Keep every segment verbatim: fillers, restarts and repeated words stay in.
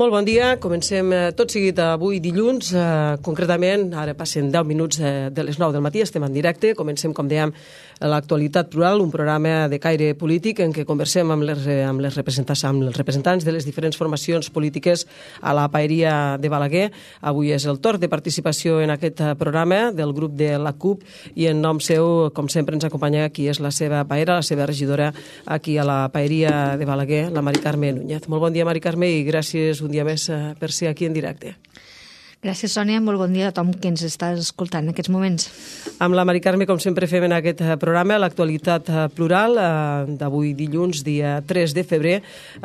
Molt bon dia, comencem tot seguit avui dilluns, eh, concretament, ara passen deu minuts de, de les nou del matí, estem en directe, comencem, com dèiem, l'actualitat plural, un programa de caire polític en què conversem amb les, amb les representants, amb els representants de les diferents formacions polítiques a la Paeria de Balaguer. Avui és el torn de participació en aquest programa del grup de la CUP i en nom seu, com sempre, ens acompanya qui és la seva paera, la seva regidora aquí a la Paeria de Balaguer, la Mari Carme Núñez. Molt bon dia, Mari Carme, i gràcies un dia més per ser aquí en directe. Gràcies, Sònia. Molt bon dia a tothom que ens està escoltant en aquests moments. Amb la Mari Carme, com sempre fem en aquest programa, l'actualitat plural d'avui dilluns, dia tres de febrer.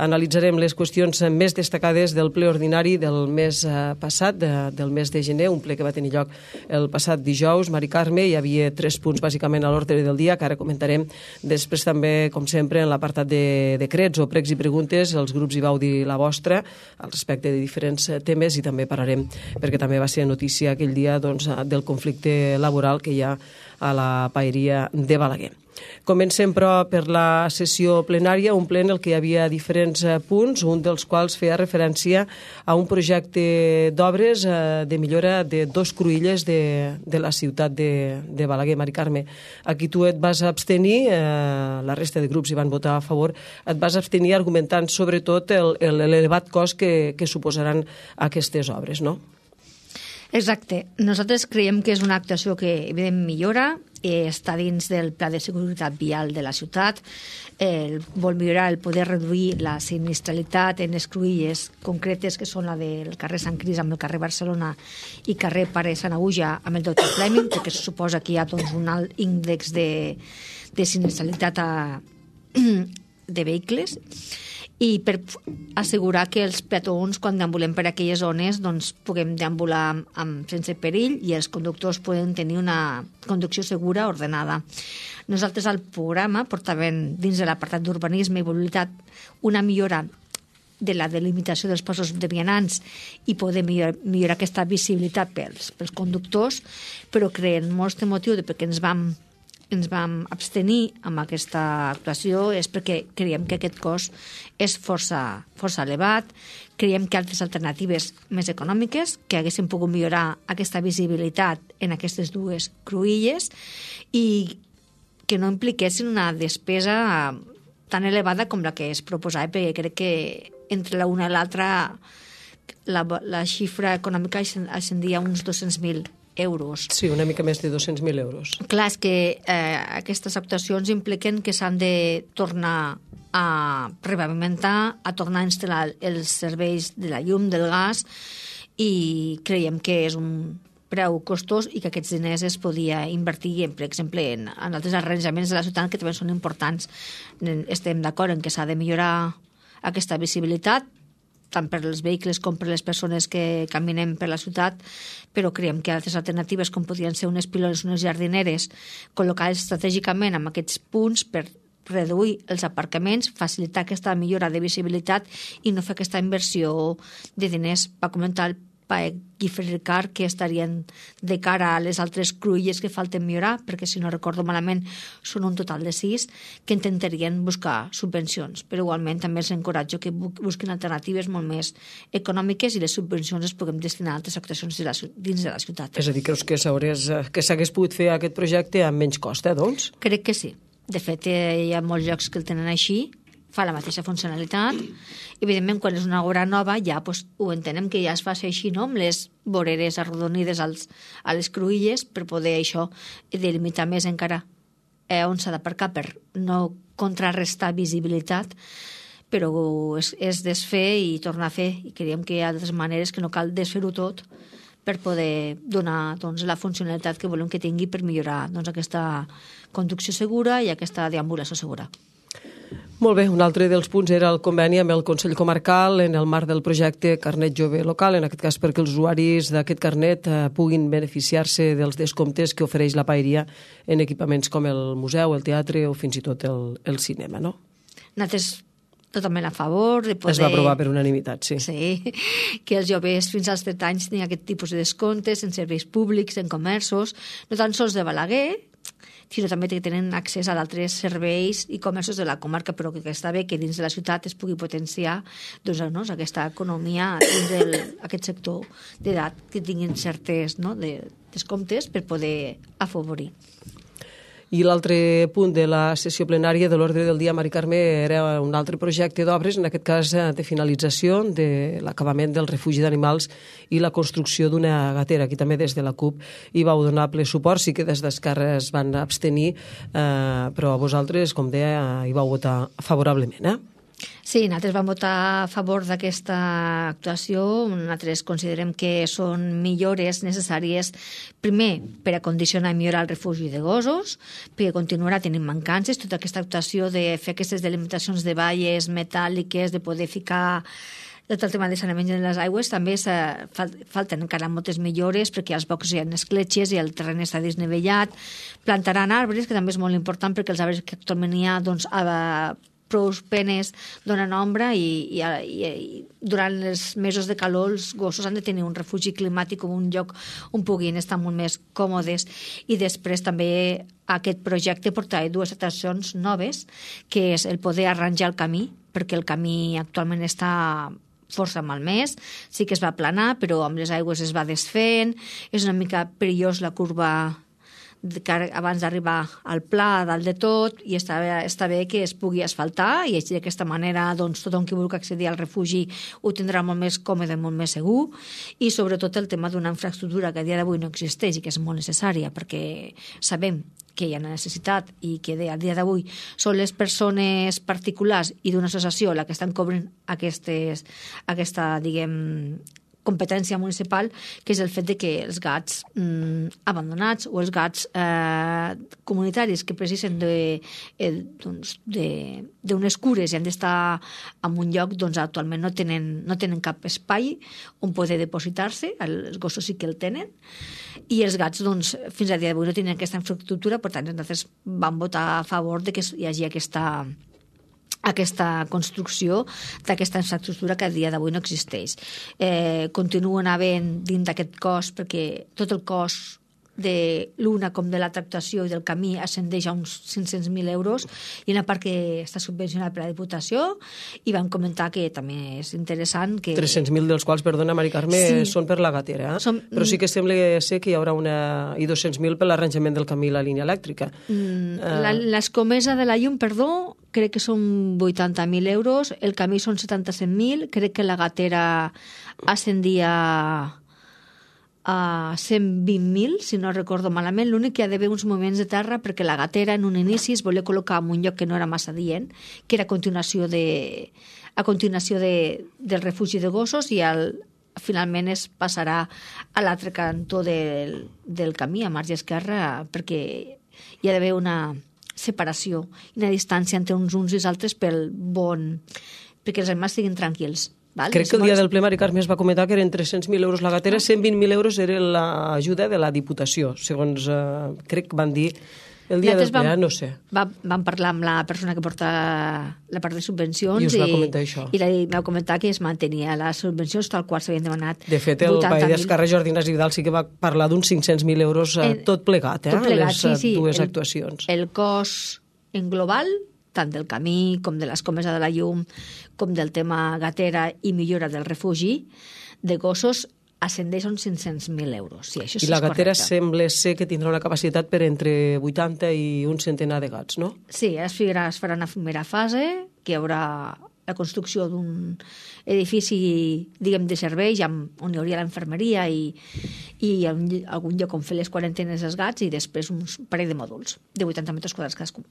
Analitzarem les qüestions més destacades del ple ordinari del mes passat, del mes de gener, un ple que va tenir lloc el passat dijous. Mari Carme, hi havia tres punts bàsicament a l'ordre del dia, que ara comentarem. Després també, com sempre, en l'apartat de decrets o pregs i preguntes, els grups hi vau dir la vostra al respecte de diferents temes i també parlarem perquè també va ser notícia aquell dia doncs, del conflicte laboral que hi ha a la Paeria de Balaguer. Comencem, però, per la sessió plenària, un ple en el que hi havia diferents punts, un dels quals feia referència a un projecte d'obres de millora de dos cruïlles de, de la ciutat de, de Balaguer. Mari Carme, aquí tu et vas abstenir, eh, la resta de grups hi van votar a favor, et vas abstenir argumentant sobretot l'elevat cost que, que suposaran aquestes obres, no? Exacte. Nosaltres creiem que és una actuació que, evidentment, millora, eh, està dins del pla de seguretat vial de la ciutat, eh, vol millorar el poder reduir la sinistralitat en les cruïlles concretes, que són la del carrer Sant Cris amb el carrer Barcelona i carrer Pare Sant Aguja amb el doctor Fleming, perquè se suposa que hi ha doncs, un alt índex de, de sinistralitat a, de vehicles, i per assegurar que els peatons, quan deambulem per aquelles zones, doncs puguem deambular amb, amb, sense perill i els conductors poden tenir una conducció segura, ordenada. Nosaltres al programa portàvem dins de l'apartat d'urbanisme i mobilitat una millora de la delimitació dels passos de vianants i poder millorar, millorar aquesta visibilitat pels, pels conductors, però creiem molt de motiu de perquè ens vam ens vam abstenir amb aquesta actuació és perquè creiem que aquest cost és força, força elevat, creiem que altres alternatives més econòmiques que haguessin pogut millorar aquesta visibilitat en aquestes dues cruïlles i que no impliquessin una despesa tan elevada com la que es proposava, perquè crec que entre la una i l'altra la, la xifra econòmica ascendia a uns dos-cents mil euros. Sí, una mica més de dos-cents mil euros. Clar, és que eh, aquestes actuacions impliquen que s'han de tornar a repavimentar, a tornar a instal·lar els serveis de la llum, del gas, i creiem que és un preu costós i que aquests diners es podia invertir, en, per exemple, en, en altres arranjaments de la ciutat que també són importants. Estem d'acord en que s'ha de millorar aquesta visibilitat, tant per als vehicles com per les persones que caminem per la ciutat, però creiem que altres alternatives, com podrien ser unes pilones, unes jardineres, col·locades estratègicament en aquests punts per reduir els aparcaments, facilitar aquesta millora de visibilitat i no fer aquesta inversió de diners, va comentar el Paec Guifrericar, que estarien de cara a les altres cruïlles que falten millorar, perquè si no recordo malament són un total de sis, que intentarien buscar subvencions, però igualment també els encoratjo que busquin alternatives molt més econòmiques i les subvencions les puguem destinar a altres actuacions de la, dins de la ciutat. És a dir, creus que s'hagués pogut fer aquest projecte amb menys cost, eh, doncs? Crec que sí. De fet, hi ha molts llocs que el tenen així, fa la mateixa funcionalitat. Evidentment, quan és una obra nova, ja pues, ho entenem que ja es fa així, no?, amb les voreres arrodonides als, a les cruïlles per poder això delimitar més encara eh, on s'ha d'aparcar per no contrarrestar visibilitat, però és, és desfer i tornar a fer, i creiem que hi ha altres maneres que no cal desfer-ho tot per poder donar doncs, la funcionalitat que volem que tingui per millorar doncs, aquesta conducció segura i aquesta deambulació segura. Molt bé, un altre dels punts era el conveni amb el Consell Comarcal en el marc del projecte Carnet Jove Local, en aquest cas perquè els usuaris d'aquest carnet eh, puguin beneficiar-se dels descomptes que ofereix la Paeria en equipaments com el museu, el teatre o fins i tot el, el cinema, no? Nosaltres totalment a favor de poder... Es va aprovar per unanimitat, sí. Sí, que els joves fins als trenta anys tinguin aquest tipus de descomptes en serveis públics, en comerços, no tan sols de Balaguer, sinó també que tenen accés a d'altres serveis i comerços de la comarca, però que està bé que dins de la ciutat es pugui potenciar doncs, no, aquesta economia dins d'aquest sector d'edat que tinguin certes no, de, descomptes per poder afavorir. I l'altre punt de la sessió plenària de l'ordre del dia, Mari Carme, era un altre projecte d'obres, en aquest cas de finalització de l'acabament del refugi d'animals i la construcció d'una gatera. Aquí també des de la CUP hi vau donar ple suport, sí que des d'Esquerra es van abstenir, eh, però vosaltres, com deia, hi vau votar favorablement, eh? Sí, nosaltres vam votar a favor d'aquesta actuació. Nosaltres considerem que són millores necessàries, primer, per a condicionar i millorar el refugi de gossos, perquè continuarà tenint mancances. Tota aquesta actuació de fer aquestes delimitacions de valles metàl·liques, de poder ficar tot el tema de saneament de les aigües, també falten encara moltes millores perquè als bocs hi ha escletxes i el terreny està desnivellat. Plantaran arbres, que també és molt important perquè els arbres que actualment hi ha doncs, a prou penes donen ombra i, i, i durant els mesos de calor els gossos han de tenir un refugi climàtic o un lloc on puguin estar molt més còmodes. I després també aquest projecte portarà dues atraccions noves, que és el poder arranjar el camí, perquè el camí actualment està força malmès, sí que es va aplanar, però amb les aigües es va desfent, és una mica perillós la curva abans d'arribar al pla dalt de tot, i està bé, està bé que es pugui asfaltar i així d'aquesta manera doncs, tothom que vulgui accedir al refugi ho tindrà molt més còmode, molt més segur, i sobretot el tema d'una infraestructura que a dia d'avui no existeix i que és molt necessària perquè sabem que hi ha una necessitat i que a dia d'avui són les persones particulars i d'una associació la que estan cobrint aquestes, aquesta, diguem, competència municipal, que és el fet de que els gats mm, abandonats o els gats eh, comunitaris que precisen d'unes de, doncs, de, cures i han d'estar en un lloc, doncs actualment no tenen, no tenen cap espai on poder depositar-se, els gossos sí que el tenen, i els gats doncs, fins a dia d'avui no tenen aquesta infraestructura, per tant nosaltres vam votar a favor de que hi hagi aquesta aquesta construcció d'aquesta infraestructura que a dia d'avui no existeix. Eh, continuen havent dins d'aquest cos, perquè tot el cos de l'una com de la tractació i del camí ascendeix a uns cinc-cents mil euros i una part que està subvencionada per la Diputació, i vam comentar que també és interessant que... tres-cents mil dels quals, perdona, Mari Carme, sí. són per la gatera, eh? Som... però sí que sembla ser que hi haurà una... i dos-cents mil per l'arranjament del camí i la línia elèctrica. Mm, uh... la, l'escomesa de la llum, perdó, crec que són vuitanta mil euros, el camí són setanta-set mil, crec que la gatera ascendia a cent vint mil, si no recordo malament. L'únic que hi ha d'haver uns moments de terra perquè la gatera en un inici es volia col·locar en un lloc que no era massa dient, que era a continuació, de, a continuació de, del refugi de gossos, i al, finalment es passarà a l'altre cantó del, del camí, a marge esquerra, perquè hi ha d'haver una separació i una distància entre uns uns i els altres pel bon, perquè els animals estiguin tranquils. Val? Crec que el dia del ple, Mari Carme, es va comentar que eren tres-cents mil euros la gatera, cent vint mil euros era l'ajuda de la Diputació, segons eh, crec que van dir el dia del ple, vam, no sé. Va, vam parlar amb la persona que porta la part de subvencions i us va comentar això. I la, va comentar que es mantenia les subvencions tal qual s'havien demanat. De fet, el paell d'Esquerra, Jordi Ignasi Vidal, sí que va parlar d'uns cinc-cents mil euros eh, tot plegat, eh, tot plegat, les sí, sí. dues el, actuacions. El cost en global, tant del camí com de l'escomesa de la llum, com del tema gatera i millora del refugi de gossos, ascendeix a uns cinc-cents mil euros. Sí, això I la gatera correcte. Sembla ser que tindrà una capacitat per entre vuitanta i un centenar de gats, no? Sí, es farà, es farà una primera fase, que hi haurà la construcció d'un edifici, diguem, de servei, on hi hauria l'infermeria i, i algun lloc on fer les quarantenes dels gats, i després un parell de mòduls de vuitanta metres quadrats cadascun.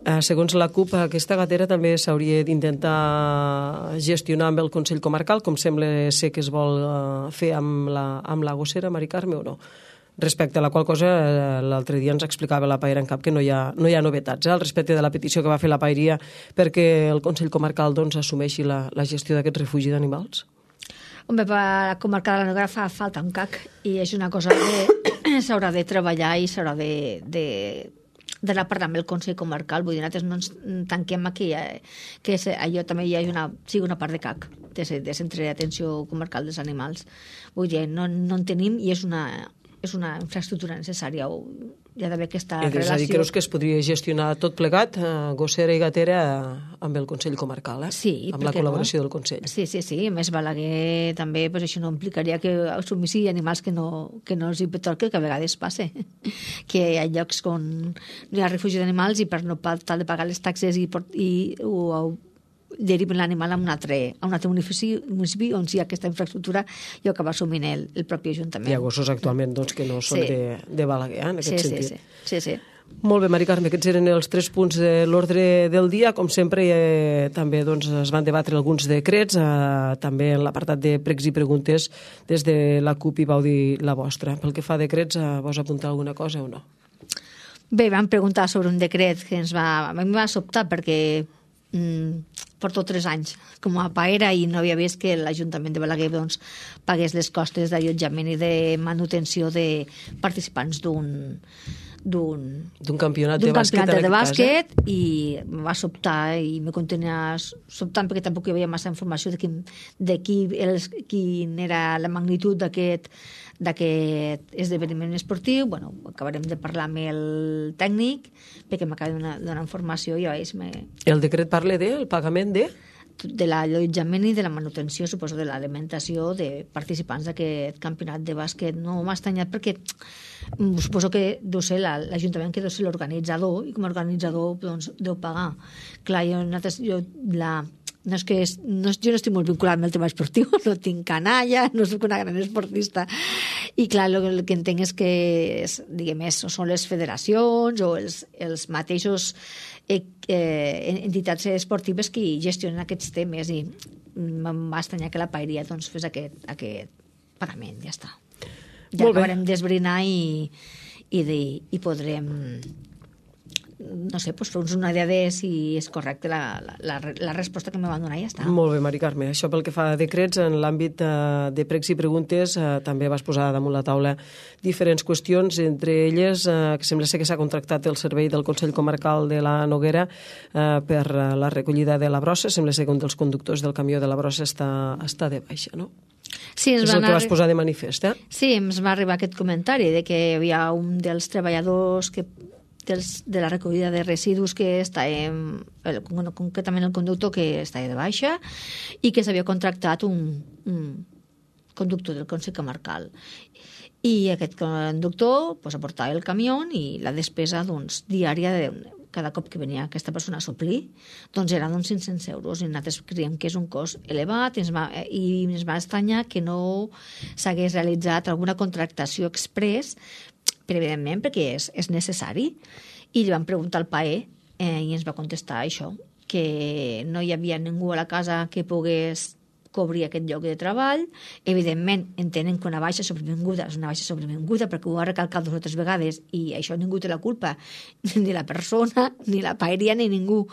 Eh, segons la CUP, aquesta gatera també s'hauria d'intentar gestionar amb el Consell Comarcal, com sembla ser que es vol eh, fer amb la, amb la gossera, Mari Carme, o no? Respecte a la qual cosa, eh, l'altre dia ens explicava la Paeria en Cap que no hi ha, no hi ha novetats, eh, al respecte de la petició que va fer la Paeria perquè el Consell Comarcal doncs, assumeixi la, la gestió d'aquest refugi d'animals. Home, per la comarca de la Noguera fa falta un C A C i és una cosa que s'haurà de treballar i s'haurà de... de d'anar parlant amb el Consell Comarcal. Vull dir, nosaltres no ens tanquem a que, que allò també hi hagi una, sigui una part de C A C, de, de Centre d'Atenció Comarcal dels Animals. Vull dir, no, no en tenim i és una, és una infraestructura necessària o hi ha d'haver aquesta relació. És a dir, creus que es podria gestionar tot plegat, eh, Gossera i Gatera, eh, amb el Consell Comarcal, eh? Sí, amb la col·laboració no? del Consell. Sí, sí, sí. A més, Balaguer també, pues, això no implicaria que assumissi animals que no, que no els hi pertoca, que a vegades passa. Que hi ha llocs on no hi ha refugi d'animals i per no tal de pagar les taxes i, i o, o deriven l'animal a un altre, a un altre municipi, municipi on si hi ha aquesta infraestructura i ho acaba assumint el, el propi Ajuntament. Hi ha gossos actualment doncs, que no són sí. de, de Balaguer, eh, en aquest sí, sentit. Sí, sí, sí, sí. Molt bé, Mari Carme, aquests eren els tres punts de l'ordre del dia. Com sempre, eh, també doncs, es van debatre alguns decrets, eh, també en l'apartat de pregs i preguntes des de la CUP i vau dir la vostra. Pel que fa a decrets, eh, vols apuntar alguna cosa o no? Bé, vam preguntar sobre un decret que ens va, a mi va sobtar perquè mm, porto tres anys com a paera i no havia vist que l'Ajuntament de Balaguer doncs, pagués les costes d'allotjament i de manutenció de participants d'un d'un campionat de bàsquet, campionat de bàsquet i em va sobtar i me contenia sobtant perquè tampoc hi havia massa informació de quin, de qui, els, quin era la magnitud d'aquest d'aquest esdeveniment esportiu. Bueno, acabarem de parlar amb el tècnic perquè m'acaba de donar, donar informació i ja veus... Me... El decret parla del pagament de? de l'allotjament i de la manutenció, suposo, de l'alimentació de participants d'aquest campionat de bàsquet. No m'ha estranyat perquè suposo que deu ser l'Ajuntament que deu ser l'organitzador i com a organitzador doncs, deu pagar. Clar, jo, jo la... No és que és, no, jo no estic molt vinculat amb el tema esportiu, no tinc canalla, no soc una gran esportista. I clar, el, el que entenc és que és, diguem, és, són les federacions o els, els mateixos eh, eh, entitats esportives que gestionen aquests temes i em va estranyar que la paeria doncs, fes aquest, aquest pagament, ja està. Ja acabarem d'esbrinar i, i, de, i podrem... no sé, doncs fer-nos una idea de si és correcte la, la, la resposta que me van donar i ja està. Molt bé, Mari Carme. Això pel que fa a decrets, en l'àmbit eh, de pregs i preguntes eh, també vas posar damunt la taula diferents qüestions, entre elles eh, que sembla ser que s'ha contractat el servei del Consell Comarcal de la Noguera eh, per la recollida de la brossa. Sembla ser que un dels conductors del camió de la brossa està, està de baixa, no? Sí, és el que vas posar de manifest, eh? Sí, ens va arribar aquest comentari de que hi havia un dels treballadors que dels, de la recollida de residus que està en, el, concretament el conductor que està de baixa i que s'havia contractat un, un conductor del Consell Comarcal. I aquest conductor pues, aportava el camió i la despesa doncs, diària de cada cop que venia aquesta persona a suplir, doncs era d'uns cinc-cents euros i nosaltres creiem que és un cost elevat i ens va, i ens va estranyar que no s'hagués realitzat alguna contractació express, però evidentment perquè és, és necessari. I li vam preguntar al P A E eh, i ens va contestar això, que no hi havia ningú a la casa que pogués cobrir aquest lloc de treball. Evidentment, entenen que una baixa sobrevinguda és una baixa sobrevinguda perquè ho ha recalcat dues o tres vegades i això ningú té la culpa, ni la persona, ni la paeria, ni ningú.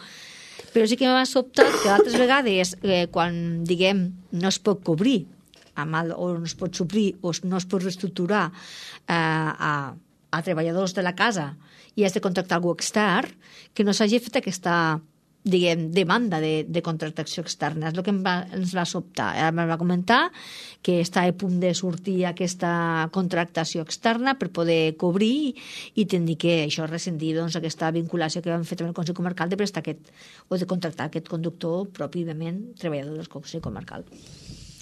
Però sí que m'ha sobtat que altres vegades, eh, quan, diguem, no es pot cobrir amb el, o no es pot suplir o no es pot reestructurar eh, a, a treballadors de la casa i has de contractar algú extern, que no s'hagi fet aquesta diguem, demanda de, de contractació externa. És el que em va, ens va sobtar. Em va comentar que està a punt de sortir aquesta contractació externa per poder cobrir i tenir que això rescindir doncs, aquesta vinculació que vam fer amb el Consell Comarcal de prestar aquest, o de contractar aquest conductor pròpiament treballador del Consell Comarcal.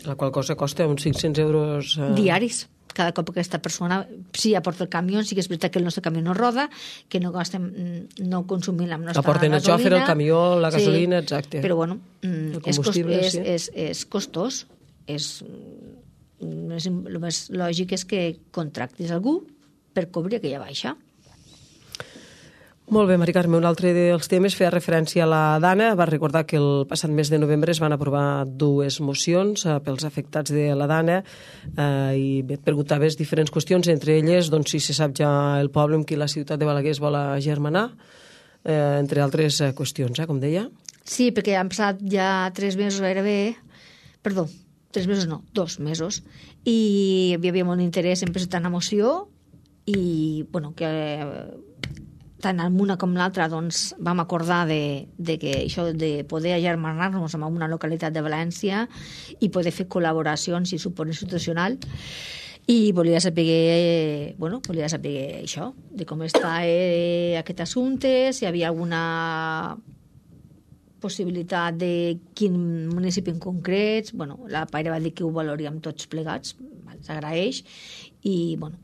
La qual cosa costa uns cinc-cents euros... Eh... diaris. Cada cop que aquesta persona sí aporta el camió, sí que és veritat que el nostre camió no roda, que no gastem, no consumim la nostra aporten gasolina. Aporten el xòfer, el camió, la gasolina, sí, exacte. Però bueno, és, cost, és, sí. és, és costós. És, és, el més lògic és que contractis algú per cobrir aquella baixa. Molt bé, Mari Carme, un altre dels temes feia referència a la Dana. Va recordar que el passat mes de novembre es van aprovar dues mocions eh, pels afectats de la Dana eh, i et preguntaves diferents qüestions, entre elles doncs, si se sap ja el poble amb qui la ciutat de Balaguer es vol agermanar, eh, entre altres eh, qüestions, eh, com deia. Sí, perquè han passat ja tres mesos gairebé, perdó, tres mesos no, dos mesos, i hi havia molt interès en presentar una moció i, bueno, que... tant en una com l'altra doncs, vam acordar de, de que això de poder agermanar-nos en una localitat de València i poder fer col·laboracions i suport institucional. I volia saber, eh, bueno, volia saber això, de com està eh, aquest assumpte, si hi havia alguna possibilitat de quin municipi en concret. Bueno, la Paire va dir que ho valoríem tots plegats, s'agraeix, i bueno,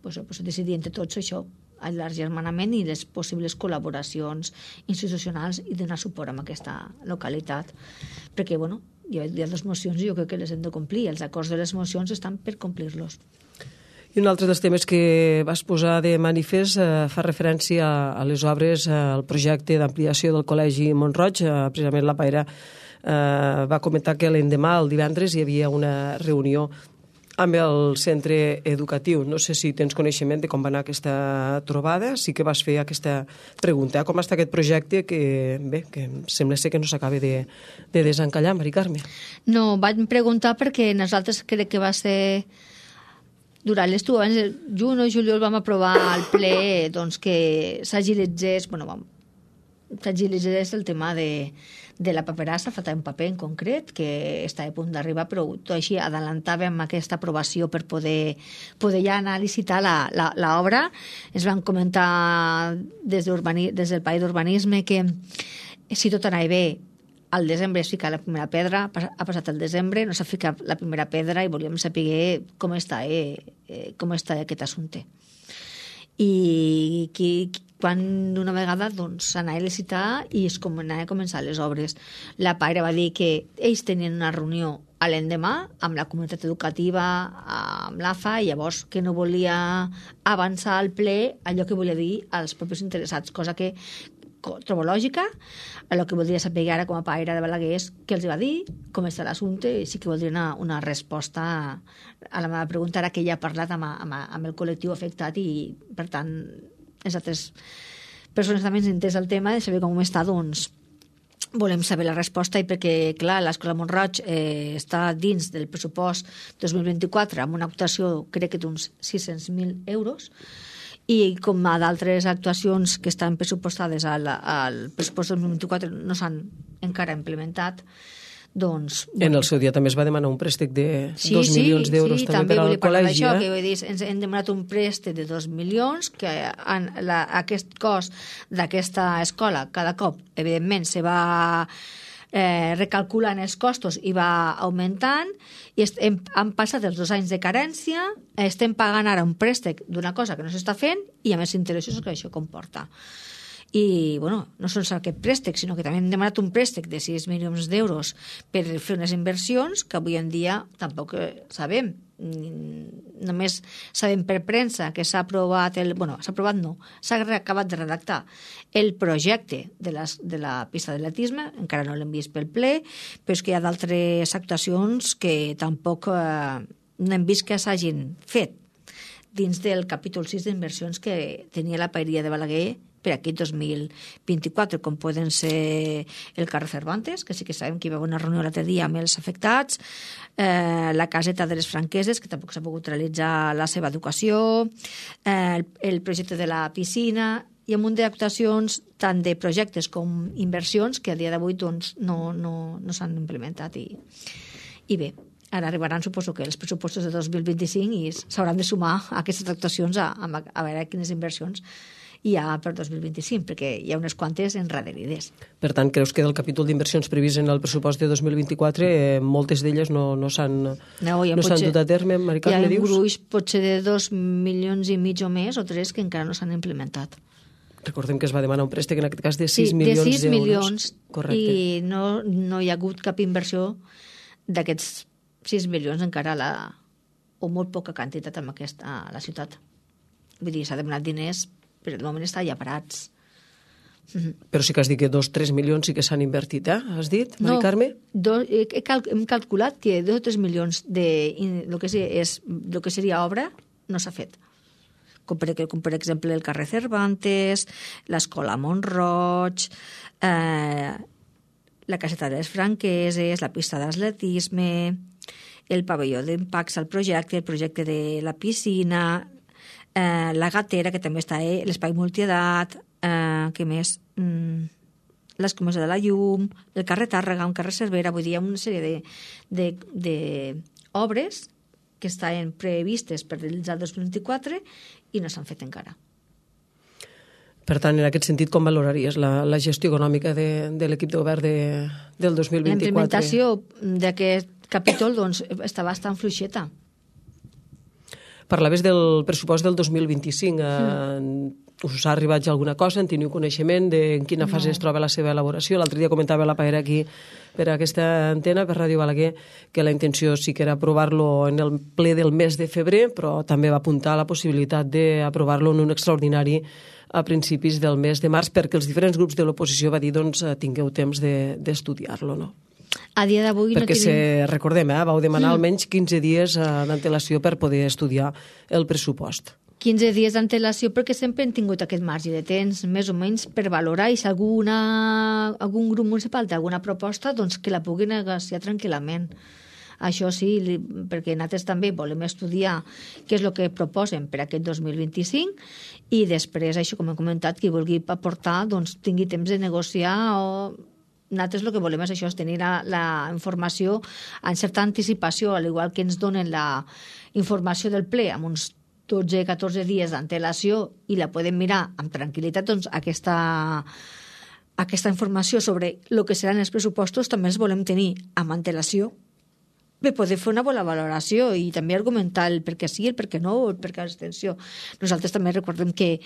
pues, pues, decidir entre tots això, l'agermanament i les possibles col·laboracions institucionals i donar suport a aquesta localitat. Perquè, bueno, hi ha, hi ha dues mocions i jo crec que les hem de complir. Els acords de les mocions estan per complir-los. I un altre dels temes que vas posar de manifest eh, fa referència a les obres, eh, al projecte d'ampliació del Col·legi Mont-roig. Eh, precisament la Paire eh, va comentar que l'endemà, el divendres, hi havia una reunió amb el centre educatiu. No sé si tens coneixement de com va anar aquesta trobada. Sí que vas fer aquesta pregunta. Com està aquest projecte que, bé, que sembla ser que no s'acaba de, de desencallar, Mari Carme? No, vaig preguntar perquè nosaltres crec que va ser durant l'estiu, abans del juny o juliol vam aprovar al ple doncs, que s'agilitzés, bueno, vam, s'agilitzés el tema de, de la paperassa, faltava un paper en concret que està a punt d'arribar, però tot així adelantàvem aquesta aprovació per poder, poder ja anar a licitar l'obra. Ens van comentar des, des del País d'Urbanisme que si tot anava bé, al desembre es fica la primera pedra, ha passat el desembre, no s'ha ficat la primera pedra i volíem saber com està, eh, eh, com està aquest assumpte. I qui, quan una vegada doncs, s'anava a licitar i es anava a començar les obres. La Paire va dir que ells tenien una reunió a l'endemà amb la comunitat educativa, amb l'A F A, i llavors que no volia avançar al ple allò que volia dir als propis interessats, cosa que trobo lògica. El que voldria saber ara com a Paire de Balaguer és què els va dir, com està l'assumpte, i sí que voldria una, una resposta a la meva pregunta, ara que ja he parlat amb, amb, amb el col·lectiu afectat i, per tant, les altres persones també ens entès el tema de saber com està, doncs volem saber la resposta, i perquè, clar, l'Escola Mont-roig eh, està dins del pressupost dos mil vint-i-quatre amb una actuació, crec que d'uns sis-cents mil euros, i com a d'altres actuacions que estan pressupostades al, al pressupost dos mil vint-i-quatre no s'han encara implementat, doncs... Bueno. En el seu dia també es va demanar un préstec de sí, dos sí, milions d'euros sí, també, també per al col·legi. Això, eh? que vull dir, ens hem demanat un préstec de dos milions, que en la, aquest cost d'aquesta escola cada cop, evidentment, se va eh, recalculant els costos i va augmentant, i hem, han passat els dos anys de carència, estem pagant ara un préstec d'una cosa que no s'està fent i a més interessos que això comporta. I, bueno, no sols aquest préstec, sinó que també hem demanat un préstec de sis milions d'euros per fer unes inversions que avui en dia tampoc sabem. Només sabem per premsa que s'ha aprovat, el, bueno, s'ha aprovat no, s'ha acabat de redactar el projecte de, les, de la pista d'atletisme, encara no l'hem vist pel ple, però és que hi ha d'altres actuacions que tampoc eh, no hem vist que s'hagin fet dins del capítol sis d'inversions que tenia la Paeria de Balaguer per aquest dos mil vint-i-quatre, com poden ser el carrer Cervantes, que sí que sabem que hi va haver una reunió l'altre dia amb els afectats, eh, la caseta de les franqueses, que tampoc s'ha pogut realitzar la seva educació, eh, el, el projecte de la piscina, i un munt d'actuacions, tant de projectes com inversions, que a dia d'avui doncs, no, no, no s'han implementat. I, i bé, ara arribaran, suposo que els pressupostos de dos mil vint-i-cinc i s'hauran de sumar a aquestes actuacions a, a, a veure quines inversions hi ha per dos mil vint-i-cinc, perquè hi ha unes quantes enraderides. Per tant, creus que del capítol d'inversions previst en el pressupost de dos mil vint-i-quatre eh, moltes d'elles no, no s'han no, no dut a terme, Mari Carme, dius? Hi ha un gruix potser de dos milions i mig o més, o tres, que encara no s'han implementat. Recordem que es va demanar un préstec, en aquest cas, de sis milions d'euros. Sí, de sis milions, correcte. I no, no hi ha hagut cap inversió d'aquests sis milions encara, la, o molt poca quantitat amb aquesta, a la ciutat. Vull dir, s'ha demanat diners, però de moment està ja parats. Però sí que has dit que dos o tres milions sí que s'han invertit, eh? Has dit, Mari Carme? No, do, he cal, hem calculat que dos o tres milions de lo que, és, lo que seria obra no s'ha fet. Com per, com per exemple el carrer Cervantes, l'escola Mont-roig, eh, la caseta de les franqueses, la pista d'atletisme, el pavelló d'impactes al projecte, el projecte de la piscina, eh, la gatera, que també està eh, l'espai multiedat, eh, què més? Mm, l'escomosa de la llum, el carrer Tàrrega, un carrer Cervera, vull dir, hi ha una sèrie de, de, de obres que estaven previstes per realitzar el dos mil vint-i-quatre i no s'han fet encara. Per tant, en aquest sentit, com valoraries la, la gestió econòmica de, de l'equip de govern de, del dos mil vint-i-quatre? La implementació d'aquest capítol doncs, està bastant fluixeta. Parlaves del pressupost del dos mil vint-i-cinc. Mm. Us ha arribat ja alguna cosa? En teniu coneixement de en quina fase no. es troba la seva elaboració? L'altre dia comentava la Paera aquí per aquesta antena, per Ràdio Balaguer, que la intenció sí que era aprovar-lo en el ple del mes de febrer, però també va apuntar la possibilitat d'aprovar-lo en un extraordinari a principis del mes de març, perquè els diferents grups de l'oposició va dir, doncs, tingueu temps d'estudiar-lo, no? A dia d'avui no perquè tenim... se, recordem, eh, vau demanar mm. almenys quinze dies d'antelació per poder estudiar el pressupost. quinze dies d'antelació perquè sempre hem tingut aquest marge de temps, més o menys, per valorar i si alguna, algun grup municipal té alguna proposta, doncs que la pugui negociar tranquil·lament. Això sí, perquè nosaltres també volem estudiar què és el que proposen per aquest dos mil vint-i-cinc i després, això com he comentat, qui vulgui aportar, doncs tingui temps de negociar o... Nosaltres el que volem és això, és tenir la, la informació en certa anticipació, al igual que ens donen la informació del ple amb uns dotze a catorze dies d'antelació i la podem mirar amb tranquil·litat, doncs aquesta, aquesta informació sobre el que seran els pressupostos també els volem tenir amb antelació per poder fer una bona valoració i també argumentar el per què sí, el per què no, el per què l'abstenció. Nosaltres també recordem que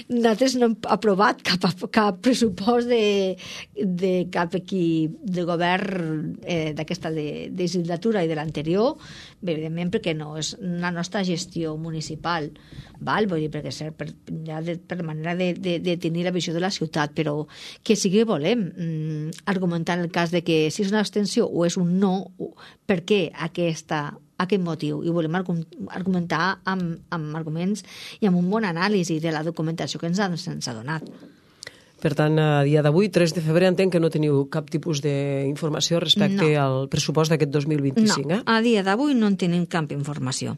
nosaltres no hem aprovat cap, cap pressupost de, de cap equip de govern eh, d'aquesta legislatura i de l'anterior, evidentment perquè no és la nostra gestió municipal, val? Vull dir, perquè és per, ja de, per manera de, de, de tenir la visió de la ciutat, però que sí que volem mm, argumentar en el cas de que si és una abstenció o és un no, per què aquesta, aquest motiu, i volem argumentar amb, amb arguments i amb un bon anàlisi de la documentació que ens ha, ens ha donat. Per tant, a dia d'avui, tres de febrer, entenc que no teniu cap tipus d'informació respecte no. al pressupost d'aquest dos mil vint-i-cinc, no, eh? A dia d'avui no en tenim cap informació.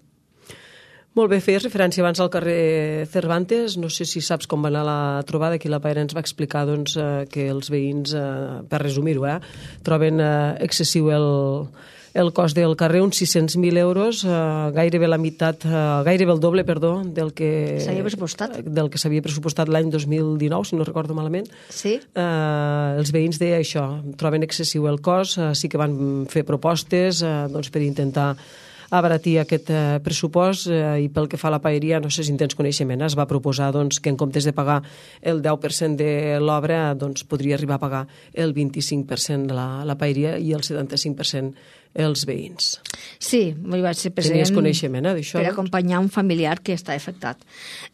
Molt bé, feies referència abans al carrer Cervantes, no sé si saps com va anar la trobada, aquí la Paera ens va explicar doncs, que els veïns, per resumir-ho, eh, troben excessiu el, el cost del carrer, uns sis-cents mil euros, gairebé la meitat, gairebé el doble, perdó, del que s'havia pressupostat, del que s'havia pressupostat l'any dos mil dinou, si no recordo malament. Sí. Eh, els veïns deia això, troben excessiu el cost, eh, sí que van fer propostes eh, doncs, per intentar abaratir aquest eh, pressupost eh, i pel que fa a la paeria, no sé si en tens coneixement, es va proposar doncs, que en comptes de pagar el deu per cent de l'obra doncs, podria arribar a pagar el vint-i-cinc per cent de la, la paeria i el setanta-cinc per cent els veïns. Sí, vaig ser present. Tenies coneixement eh, d'això? Per acompanyar un familiar que està afectat.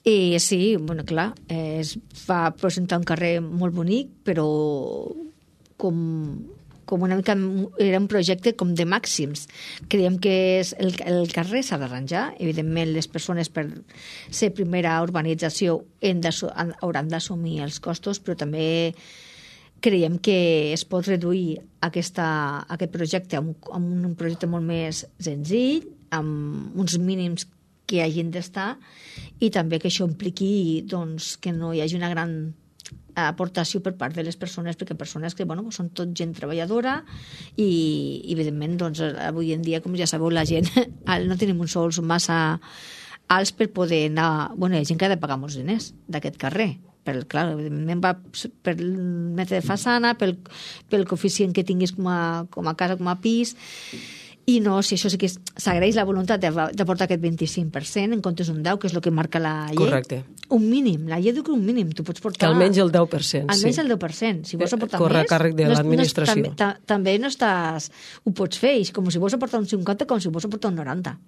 I sí, bueno, clar, eh, es va presentar un carrer molt bonic, però com... com una mica era un projecte com de màxims. Creiem que és el, el carrer s'ha d'arranjar. Evidentment, les persones per ser primera urbanització hauran d'assumir els costos, però també creiem que es pot reduir aquesta, aquest projecte a un, a un projecte molt més senzill, amb uns mínims que hagin d'estar, i també que això impliqui doncs, que no hi hagi una gran aportació per part de les persones, perquè persones que bueno, són tot gent treballadora i, evidentment, doncs, avui en dia, com ja sabeu, la gent no tenim uns sous massa alts per poder anar... Bueno, hi ha gent que ha de pagar molts diners d'aquest carrer. Per, clar, evidentment va per el metre de façana, pel, pel coeficient que tinguis com a, com a casa, com a pis... I no, si això sí que s'agraeix la voluntat d'aportar aquest vint-i-cinc per cent en comptes d'un deu, que és el que marca la llei. Correcte. Un mínim, la llei diu que un mínim, tu pots portar... Que almenys el deu per cent, sí. Almenys el deu per cent. Si vols aportar Corre més... Corre a càrrec de no, l'administració. No, tam, també no estàs... Ho pots fer, com si vols aportar un cinquanta, com si vols aportar un noranta.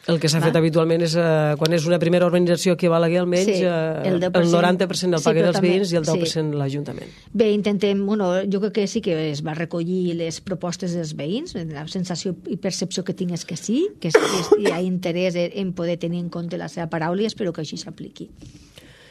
El que s'ha fet habitualment és, eh, quan és una primera organització que val aquí almenys, sí, el, el, el noranta per cent del paguen sí, els veïns i el deu per cent sí. l'Ajuntament. Bé, intentem, bueno, jo crec que sí que es va recollir les propostes dels veïns, la sensació i percepció que tinc és que sí, que hi ha interès en poder tenir en compte la seva paraula i espero que així s'apliqui.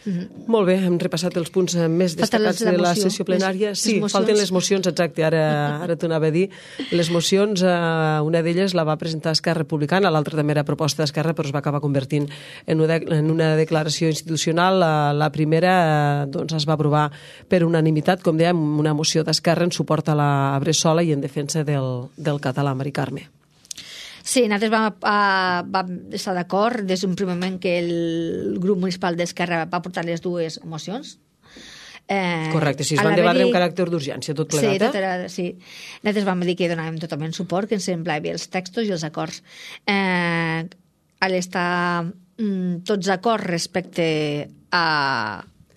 Mm-hmm. Molt bé, hem repassat els punts més destacats de la sessió plenària. Les, sí, les falten les mocions, exacte, ara, ara t'ho anava a dir. Les mocions, eh, una d'elles la va presentar Esquerra Republicana, l'altra també era proposta d'Esquerra, però es va acabar convertint en una, en una declaració institucional. La, la primera eh, doncs es va aprovar per unanimitat, com dèiem, una moció d'Esquerra en suport a la Bressola i en defensa del, del català, Mari Carme. Sí, nosaltres vam, a, vam estar d'acord des d'un primer moment que el grup municipal d'Esquerra va portar les dues mocions. Eh, Correcte, sí, es van debatre amb caràcter d'urgència, tot plegat, sí, tot era, sí. Nosaltres vam dir que donàvem totalment suport, que ens semblava bé els textos i els acords. Eh, a l'estar mm, tots d'acord respecte a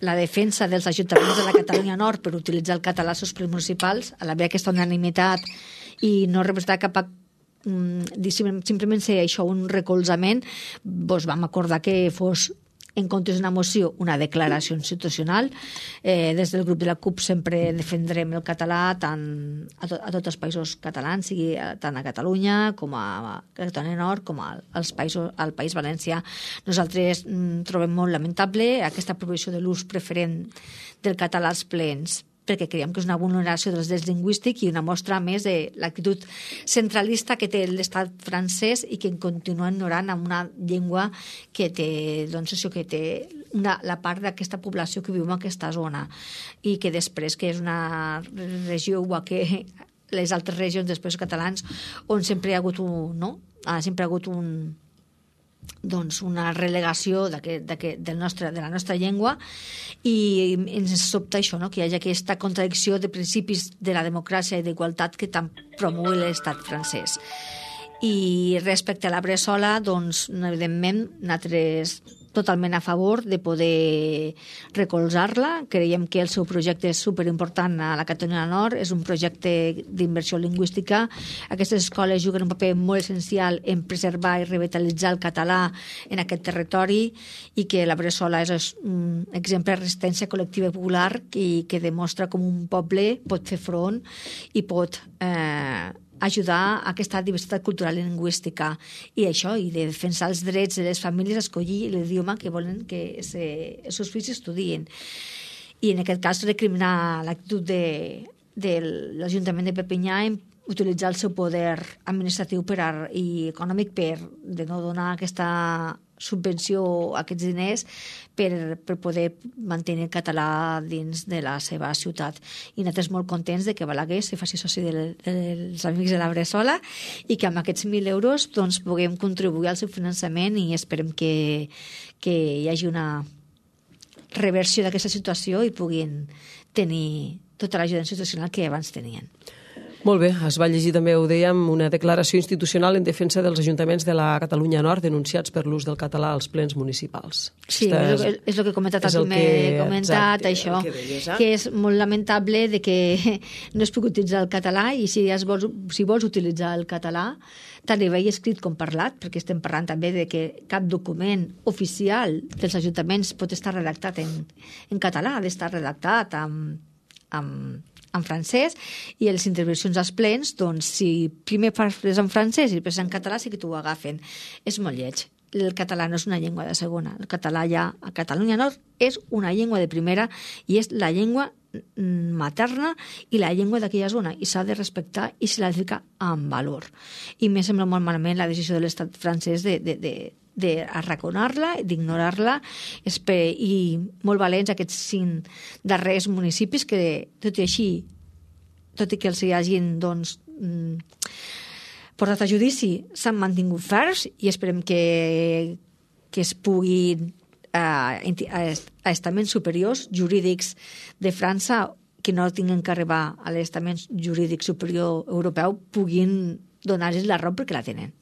la defensa dels ajuntaments de la Catalunya Nord per utilitzar el català als seus plens municipals, a l'haver aquesta unanimitat i no representar cap a simplement ser això un recolzament, doncs vam acordar que fos en comptes d'una moció, una declaració institucional. Eh, des del grup de la CUP sempre defendrem el català tant a, to a tots els països catalans, sigui tant a Catalunya com a Catalunya Nord com al, als països, al País Valencià. Nosaltres mm, trobem molt lamentable aquesta prohibició de l'ús preferent del català als plens, perquè creiem que és una vulneració dels drets lingüístics i una mostra més de l'actitud centralista que té l'estat francès i que continua ignorant amb una llengua que té, doncs això, que té una, la part d'aquesta població que viu en aquesta zona i que després que és una regió igual que les altres regions després catalans on sempre hi ha hagut un, no? Ah, sempre hi ha hagut un doncs una relegació del nostre, de la nostra llengua i ens sobta això, no? Que hi hagi aquesta contradicció de principis de la democràcia i d'igualtat que tant promou l'estat francès. I respecte a la Bressola, doncs, evidentment, nosaltres totalment a favor de poder recolzar-la. Creiem que el seu projecte és superimportant a la Catalunya Nord, és un projecte d'inversió lingüística. Aquestes escoles juguen un paper molt essencial en preservar i revitalitzar el català en aquest territori i que la Bressola és un exemple de resistència col·lectiva i popular i que demostra com un poble pot fer front i pot eh, ajudar a aquesta diversitat cultural i lingüística i això, i de defensar els drets de les famílies a escollir l'idioma que volen que se, els seus fills estudien. I en aquest cas recriminar l'actitud de, de l'Ajuntament de Perpinyà en utilitzar el seu poder administratiu per a, i econòmic per de no donar aquesta subvenció a aquests diners per, per poder mantenir el català dins de la seva ciutat. I nosaltres molt contents de que Balaguer se faci soci de, dels Amics de la Bressola i que amb aquests mil euros doncs, puguem contribuir al seu finançament i esperem que, que hi hagi una reversió d'aquesta situació i puguin tenir tota l'ajuda institucional que abans tenien. Molt bé, es va llegir també, ho dèiem, una declaració institucional en defensa dels ajuntaments de la Catalunya Nord denunciats per l'ús del català als plens municipals. Sí, és, és, el, és el que he comentat el primer que, comentat, exacte, això, que, deies, eh? que és molt lamentable de que no es pugui utilitzar el català i si, es vols, si vols utilitzar el català, tant a nivell escrit com parlat, perquè estem parlant també de que cap document oficial dels ajuntaments pot estar redactat en, en català, ha d'estar redactat amb, amb en francès, i les intervencions als plens, doncs, si primer parles en francès i després en català, sí que t'ho agafen. És molt lleig. El català no és una llengua de segona. El català ja a Catalunya Nord és una llengua de primera i és la llengua materna i la llengua d'aquella zona i s'ha de respectar i se l'ha de ficar amb valor. I m'he semblat molt malament la decisió de l'estat francès de, de, de d'arraconar-la, d'ignorar-la i molt valents aquests cinc darrers municipis que, tot i així, tot i que els hi hagin doncs, portat a judici, s'han mantingut ferms i esperem que, que es puguin a, a estaments superiors jurídics de França que no tinguin que arribar a l'estament jurídic superior europeu puguin donar-los la raó perquè la tenen.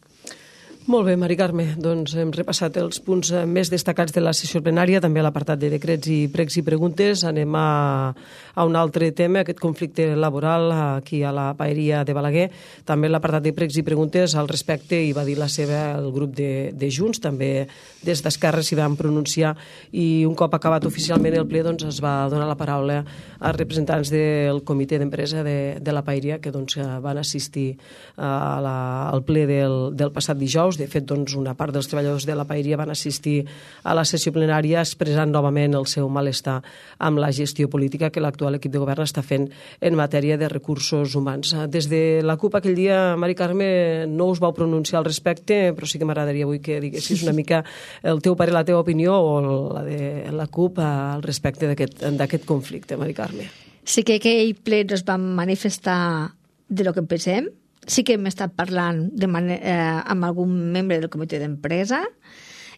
Molt bé, Mari Carme, doncs hem repassat els punts més destacats de la sessió plenària, també l'apartat de decrets i pregs i preguntes. Anem a, a un altre tema, aquest conflicte laboral aquí a la paeria de Balaguer. També l'apartat de pregs i preguntes al respecte hi va dir la seva el grup de, de Junts, també des d'Esquerra s'hi van pronunciar i un cop acabat oficialment el ple doncs, es va donar la paraula als representants del comitè d'empresa de, de la paeria que doncs, van assistir a la, al ple del, del passat dijous. De fet, doncs, una part dels treballadors de la paeria van assistir a la sessió plenària expressant novament el seu malestar amb la gestió política que l'actual equip de govern està fent en matèria de recursos humans. Des de la CUP aquell dia, Mari Carme, no us vau pronunciar al respecte, però sí que m'agradaria avui que diguessis una mica el teu parer, la teva opinió o la de la CUP al respecte d'aquest conflicte, Mari Carme. Sí que aquell ple ens vam manifestar de lo que pensem, sí que hem estat parlant de manera, eh, amb algun membre del comitè d'empresa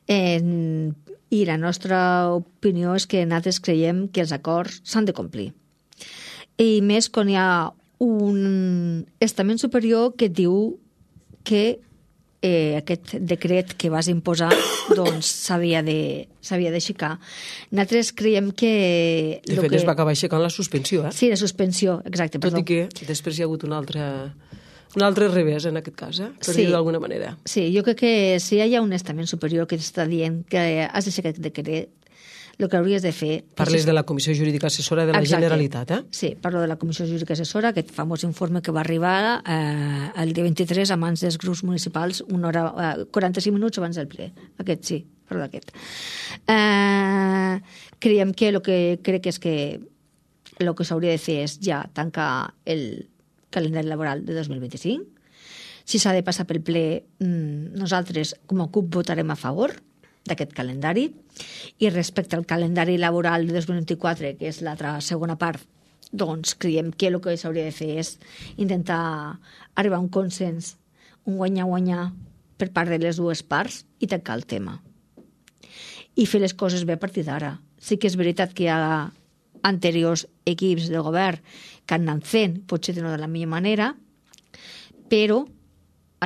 eh, i la nostra opinió és que nosaltres creiem que els acords s'han de complir. I més quan hi ha un estament superior que diu que eh, aquest decret que vas imposar doncs s'havia de s'havia d'aixecar. Nosaltres creiem que... De fet, que... es va acabar aixecant la suspensió, eh? Sí, la suspensió, exacte. Tot perdó. I que després hi ha hagut una altra... un altre revés, en aquest cas, eh? per sí. dir-ho d'alguna manera. Sí, jo crec que si hi ha un estament superior que està dient que has d'aixecar aquest decret, el que hauries de fer... Parles de la Comissió Jurídica Assessora de la Exacte. Generalitat, eh? Sí, parlo de la Comissió Jurídica Assessora, aquest famós informe que va arribar eh, el dia vint-i-tres a mans dels grups municipals, una hora, eh, quaranta-cinc minuts abans del ple. Aquest sí, parlo d'aquest. Eh, creiem que el que crec és que el que s'hauria de fer és ja tancar el calendari laboral de dos mil vint-i-cinc. Si s'ha de passar pel ple, nosaltres com a C U P votarem a favor d'aquest calendari, i respecte al calendari laboral de dos mil vint-i-quatre, que és l'altra segona part, doncs creiem que el que s'hauria de fer és intentar arribar a un consens, un guanyar-guanyar per part de les dues parts i tancar el tema. I fer les coses bé a partir d'ara. Sí que és veritat que hi ha anteriors equips del govern que han anat fent, potser no de la millor manera, però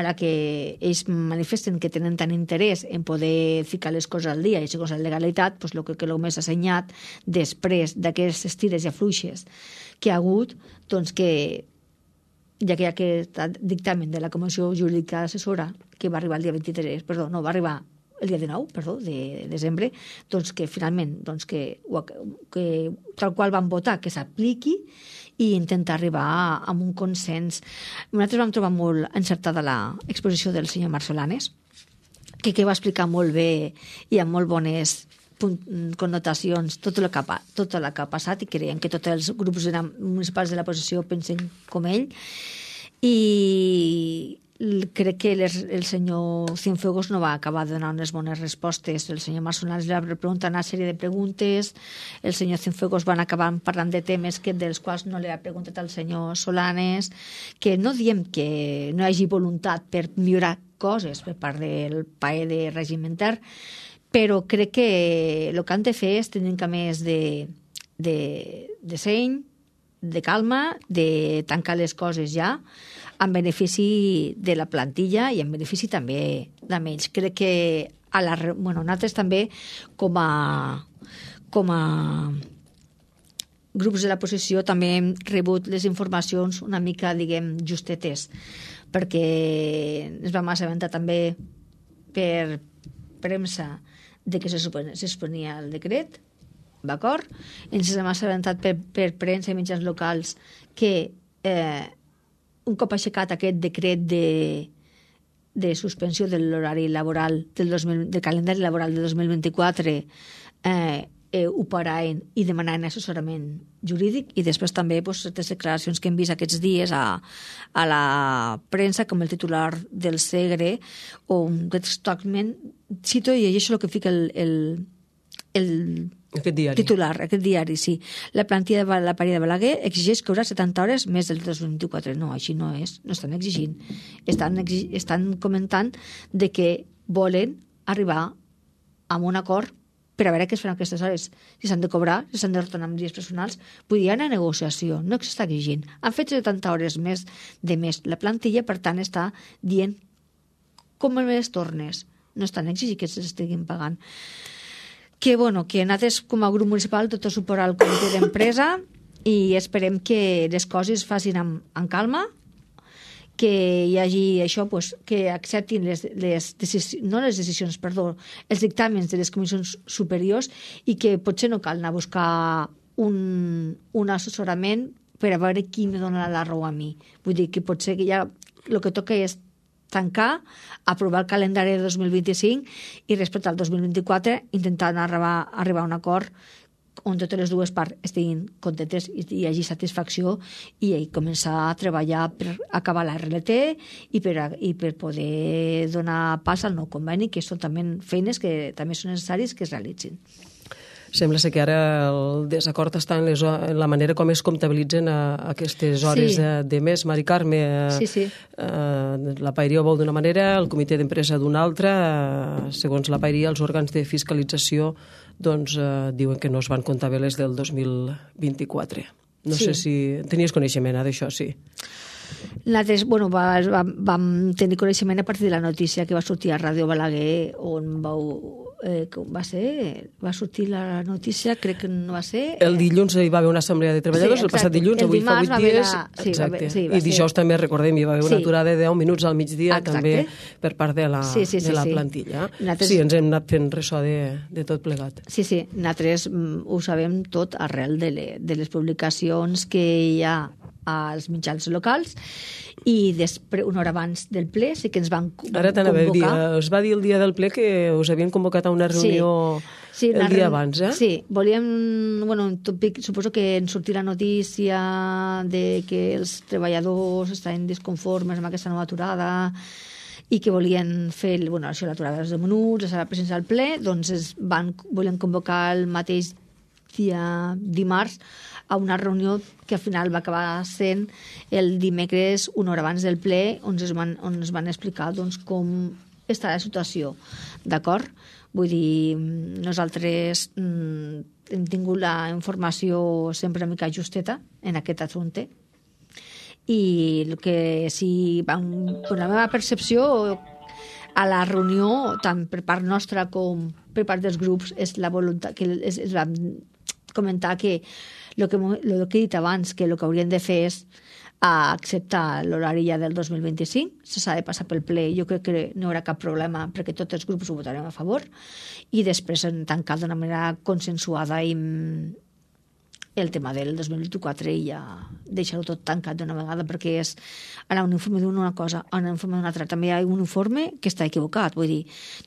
ara que ells manifesten que tenen tant interès en poder ficar les coses al dia i segons la legalitat, doncs el que, que només s'ha assenyat després d'aquestes tires i afluixes que ha hagut, doncs que ja que hi ha aquest dictamen de la Comissió Jurídica Assessora que va arribar el dia vint-i-tres, perdó, no, va arribar el dia dinou, perdó, de desembre, doncs que finalment, doncs que, que tal qual van votar, que s'apliqui i intentar arribar a, a un consens. Nosaltres vam trobar molt encertada l'exposició del senyor Marc Solanes, que, que va explicar molt bé i amb molt bones connotacions tot el que ha, tot el que ha passat, i creiem que tots els grups municipals de la posició pensen com ell, i crec que les, el senyor Cienfuegos no va acabar de donar unes bones respostes. El senyor Marc Solanes li va preguntar una sèrie de preguntes, el senyor Cienfuegos van acabar parlant de temes que, dels quals no li ha preguntat al senyor Solanes, que no diem que no hi hagi voluntat per millorar coses per part del P A E de règim intern, però crec que el que han de fer és tenir que més de, de, de seny, de calma, de tancar les coses ja, en benefici de la plantilla i en benefici també d'ells. Crec que a la, bueno, nosaltres també com a, com a grups de la posició també hem rebut les informacions una mica, diguem, justetes, perquè ens vam assabentar també per premsa de que se susponia el decret, d'acord? Ens hem assabentat per, per premsa i mitjans locals que eh, un cop aixecat aquest decret de, de suspensió de l'horari laboral del, dos mil, del calendari laboral de dos mil vint-i-quatre eh, eh, ho paraven i demanaven assessorament jurídic, i després també pues, les declaracions que hem vist aquests dies a, a la premsa com el titular del Segre, on textualment cito i llegeixo el que fica el, el, el Aquest diari. Titular, aquest diari, sí. La plantilla de la Paria de Balaguer exigeix cobrar setanta hores més del dos mil vint-i-quatre. No, així no és. No estan exigint. Estan, exig... estan comentant de que volen arribar a un acord per a veure què es fan aquestes hores. Si s'han de cobrar, si s'han de retornar amb dies personals, vull dir, hi ha una negociació, no s'està exigint. Han fet setanta hores més de més la plantilla, per tant, està dient com les tornes. No estan exigint que s'estiguin pagant. Que, bueno, que nosaltres com a grup municipal tot el suport al comitè d'empresa i esperem que les coses facin amb, amb calma, que hi hagi això, pues, que acceptin les, les decisions, no les decisions, perdó, els dictàmens de les comissions superiors, i que potser no cal anar a buscar un, un assessorament per a veure qui me dona la raó a mi. Vull dir que potser que ja el que toca és tancar, aprovar el calendari de dos mil vint-i-cinc i respecte al dos mil vint-i-quatre intentar arribar, arribar a un acord on totes les dues parts estiguin contentes i hi hagi satisfacció, i començar a treballar per acabar la R L T i per, a, i per poder donar pas al nou conveni, que són també feines que també són necessàries que es realitzin. Sembla ser que ara el desacord està en, les, en la manera com es comptabilitzen a, a aquestes hores Sí. de, de mes. Mari Carme, eh, Sí, sí. eh, la Paeria ho vol d'una manera, el comitè d'empresa d'una altra. Eh, segons la Paeria, els òrgans de fiscalització doncs, eh, diuen que no es van comptar bé les del dos mil vint-i-quatre. No Sí. sé si tenies coneixement eh, d'això, sí. Nosaltres, bueno, va, va, vam tenir coneixement a partir de la notícia que va sortir a Ràdio Balaguer, on vau, eh, com va ser? Va sortir la notícia, crec que no va ser... El dilluns hi va haver una assemblea de treballadors, Sí, el passat exacte. dilluns, El avui fa dimarts vuit va haver dies. la- sí, va exacte. haver- sí, va I dijous ser- també, recordem, hi va haver una Sí. aturada de deu minuts al migdia Exacte. també per part de la, Sí, sí, sí, de la sí. plantilla. Nosaltres- Sí, ens hem anat fent ressò de, de tot plegat. Sí, sí, nosaltres mm, ho sabem tot arrel de, le, de les publicacions que hi ha als mitjans locals i després, una hora abans del ple, sí que ens van co- Ara t'anava a dir, convocar. eh, us va dir el dia del ple que us havien convocat a una reunió Sí, el una dia reun- abans, eh? Sí, volíem, bueno, en tòpic, suposo que en sortir la notícia de que els treballadors estaven disconformes amb aquesta nova aturada i que volien fer, bueno, això, l'aturada dels deu minuts, la sala de presència al ple, doncs es van, volien convocar el mateix dia dimarts a una reunió que al final va acabar sent el dimecres una hora abans del ple on es van, on es van explicar doncs, com està la situació, d'acord? Vull dir, nosaltres mm, hem tingut la informació sempre una mica justeta en aquest assumpte i el que sí, van, per la meva percepció a la reunió, tant per part nostra com per part dels grups, és la voluntat que es, es va comentar que el que, lo que he dit abans, que el que haurien de fer és a acceptar l'horari ja del dos mil vint-i-cinc, se s'ha de passar pel ple, jo crec que no hi haurà cap problema perquè tots els grups ho votarem a favor i després en tancar d'una manera consensuada i el tema del dos mil vint-i-quatre i ja deixar-ho tot tancat d'una vegada perquè és anar un informe d'una cosa, anar un informe d'una altra. També hi ha un informe que està equivocat, vull dir,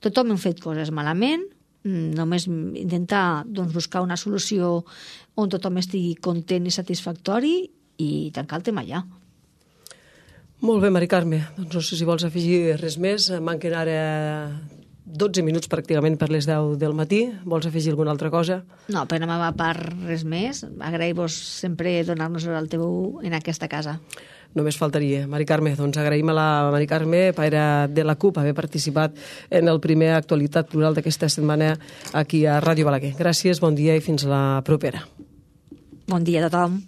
tothom hem fet coses malament, només intentar doncs, buscar una solució on tothom estigui content i satisfactori i tancar el tema ja. Molt bé, Mari Carme. Doncs no sé si vols afegir res més. Manquen ara dotze minuts pràcticament per les deu del matí. Vols afegir alguna altra cosa? No, per la meva part res més. Agrair-vos sempre donar-nos el teu en aquesta casa. Només faltaria. Mari Carme, doncs agraïm a la Mari Carme, paire de la CUP, haver participat en el primer Actualitat Plural d'aquesta setmana aquí a Ràdio Balaguer. Gràcies, bon dia i fins la propera. Bon dia a tothom.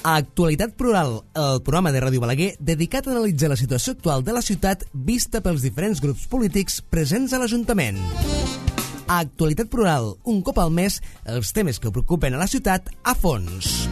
Actualitat Plural, el programa de Ràdio Balaguer dedicat a analitzar la situació actual de la ciutat vista pels diferents grups polítics presents a l'Ajuntament. Actualitat Plural, un cop al mes, els temes que preocupen a la ciutat a fons.